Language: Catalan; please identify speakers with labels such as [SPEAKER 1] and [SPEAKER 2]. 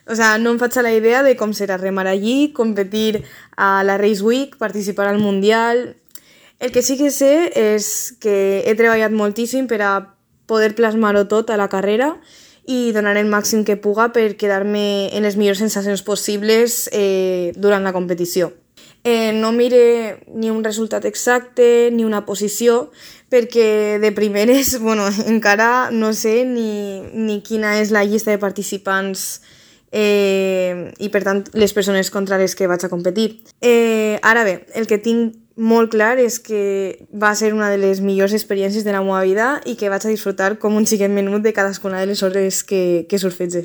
[SPEAKER 1] O sea, no em faig a la idea de com serà remar allí, competir a la Race Week, participar al Mundial. El que sí que sé és que he treballat moltíssim per a poder plasmar-ho tot a la carrera i donar el màxim que puga per quedar-me en les millors sensacions possibles durant la competició. No mire ni un resultat exacte ni una posició perquè de primeres encara no sé ni quina és la llista de participants i per tant les persones contra les que vaig a competir. Ara bé, el que tinc molt clar és que va ser una de les millors experiències de la meva vida i que vaig a disfrutar com un xiquet menut de cadascuna de les hores que surfege.